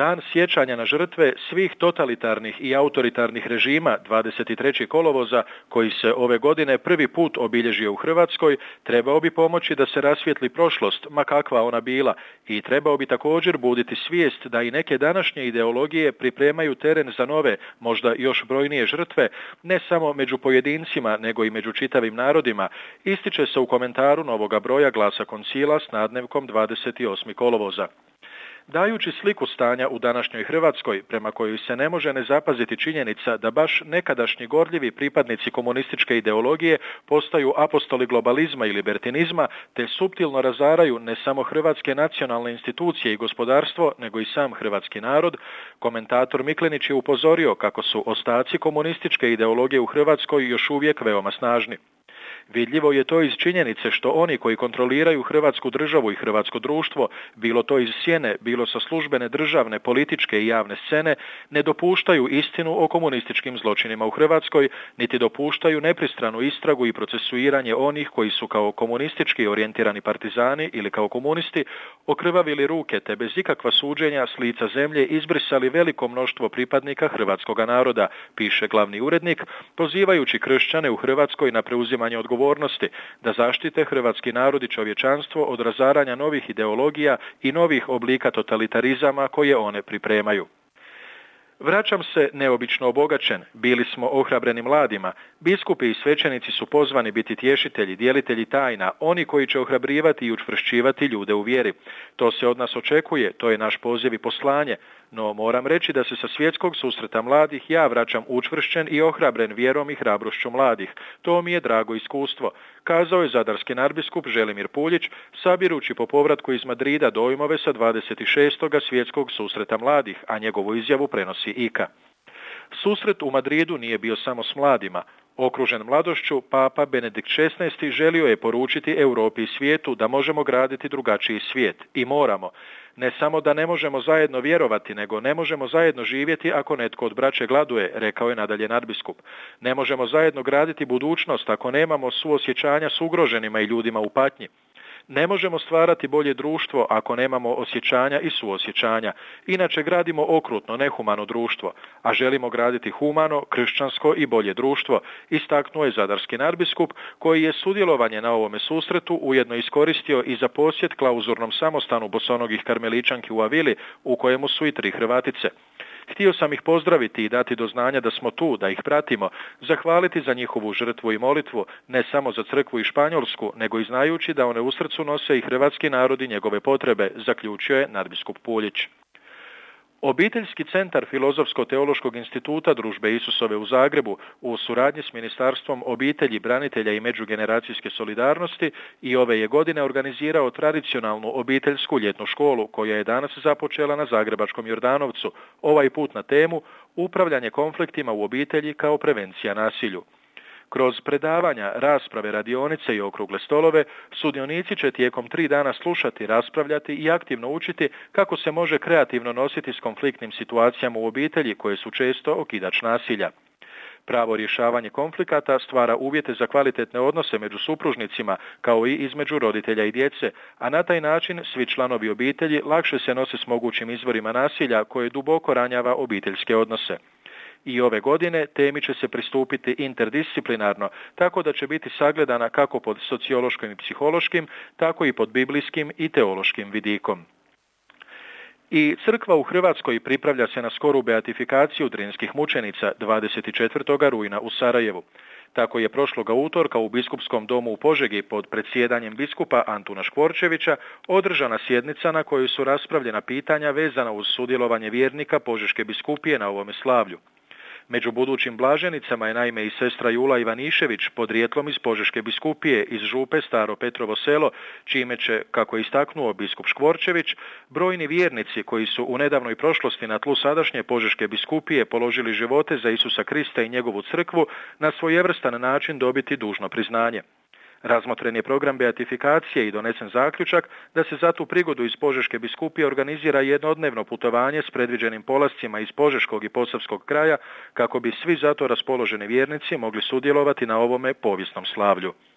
Dan sjećanja na žrtve svih totalitarnih i autoritarnih režima 23. kolovoza, koji se ove godine prvi put obilježio u Hrvatskoj, trebao bi pomoći da se rasvijetli prošlost, ma kakva ona bila, i trebao bi također buditi svijest da i neke današnje ideologije pripremaju teren za nove, možda još brojnije žrtve, ne samo među pojedincima, nego i među čitavim narodima, ističe se u komentaru novoga broja Glasa Koncila s nadnevkom 28. kolovoza. Dajući sliku stanja u današnjoj Hrvatskoj, prema kojoj se ne može ne zapaziti činjenica da baš nekadašnji gorljivi pripadnici komunističke ideologije postaju apostoli globalizma i libertinizma, te suptilno razaraju ne samo hrvatske nacionalne institucije i gospodarstvo, nego i sam hrvatski narod, komentator Miklenić je upozorio kako su ostaci komunističke ideologije u Hrvatskoj još uvijek veoma snažni. Vidljivo je to iz činjenice što oni koji kontroliraju Hrvatsku državu i hrvatsko društvo, bilo to iz sjene, bilo sa službene državne, političke i javne scene, ne dopuštaju istinu o komunističkim zločinima u Hrvatskoj, niti dopuštaju nepristranu istragu i procesuiranje onih koji su kao komunistički orijentirani partizani ili kao komunisti okrvavili ruke te bez ikakva suđenja s lica zemlje izbrisali veliko mnoštvo pripadnika hrvatskoga naroda, piše glavni urednik, pozivajući kršćane u Hrvatskoj na preuzimanje odgovornosti da zaštite hrvatski narod i čovječanstvo od razaranja novih ideologija i novih oblika totalitarizama koje one pripremaju. Vraćam se neobično obogaćen, bili smo ohrabreni mladima, biskupi i svećenici su pozvani biti tješitelji, dijelitelji tajna, oni koji će ohrabrivati i učvršćivati ljude u vjeri. To se od nas očekuje, to je naš poziv i poslanje, no moram reći da se sa svjetskog susreta mladih ja vraćam učvršćen i ohrabren vjerom i hrabrošću mladih. To mi je drago iskustvo, kazao je zadarski nadbiskup Želimir Puljić, sabirući po povratku iz Madrida dojmove sa 26. svjetskog susreta mladih, a njegovu izjavu prenosi IKA. Susret u Madridu nije bio samo s mladima. Okružen mladošću, Papa Benedikt XVI želio je poručiti Europi i svijetu da možemo graditi drugačiji svijet. I moramo. Ne samo da ne možemo zajedno vjerovati, nego ne možemo zajedno živjeti ako netko od braće gladuje, rekao je nadalje nadbiskup. Ne možemo zajedno graditi budućnost ako nemamo suosjećanja s ugroženima i ljudima u patnji. Ne možemo stvarati bolje društvo ako nemamo osjećanja i suosjećanja. Inače gradimo okrutno, nehumano društvo, a želimo graditi humano, kršćansko i bolje društvo, istaknuo je zadarski nadbiskup, koji je sudjelovanje na ovome susretu ujedno iskoristio i za posjet klauzurnom samostanu bosonogih karmeličanki u Avili, u kojemu su i 3 Hrvatice. Htio sam ih pozdraviti i dati do znanja da smo tu, da ih pratimo, zahvaliti za njihovu žrtvu i molitvu, ne samo za crkvu i Španjolsku, nego i znajući da one u srcu nose i hrvatski narod i njegove potrebe, zaključio je nadbiskup Puljić. Obiteljski centar Filozofsko-teološkog instituta Družbe Isusove u Zagrebu u suradnji s Ministarstvom obitelji, branitelja i međugeneracijske solidarnosti i ove je godine organizirao tradicionalnu obiteljsku ljetnu školu koja je danas započela na zagrebačkom Jordanovcu, ovaj put na temu upravljanje konfliktima u obitelji kao prevencija nasilju. Kroz predavanja, rasprave, radionice i okrugle stolove, sudionici će tijekom 3 dana slušati, raspravljati i aktivno učiti kako se može kreativno nositi s konfliktnim situacijama u obitelji koje su često okidač nasilja. Pravo rješavanje konflikata stvara uvjete za kvalitetne odnose među supružnicima, kao i između roditelja i djece, a na taj način svi članovi obitelji lakše se nose s mogućim izvorima nasilja koje duboko ranjava obiteljske odnose. I ove godine temi će se pristupiti interdisciplinarno, tako da će biti sagledana kako pod sociološkim i psihološkim, tako i pod biblijskim i teološkim vidikom. I crkva u Hrvatskoj pripravlja se na skoru beatifikaciju drinskih mučenica 24. rujna u Sarajevu. Tako je prošloga utorka u Biskupskom domu u Požegi pod predsjedanjem biskupa Antuna Škvorčevića održana sjednica na kojoj su raspravljena pitanja vezana uz sudjelovanje vjernika Požeške biskupije na ovome slavlju. Među budućim blaženicama je naime i sestra Jula Ivanišević, podrijetlom iz Požeške biskupije iz župe Staro Petrovo selo, čime će, kako je istaknuo biskup Škvorčević, brojni vjernici koji su u nedavnoj prošlosti na tlu sadašnje Požeške biskupije položili živote za Isusa Krista i njegovu crkvu na svojevrstan način dobiti dužno priznanje. Razmotren je program beatifikacije i donesen zaključak da se za tu prigodu iz Požeške biskupije organizira jednodnevno putovanje s predviđenim polascima iz Požeškog i Posavskog kraja kako bi svi za to raspoloženi vjernici mogli sudjelovati na ovome povijesnom slavlju.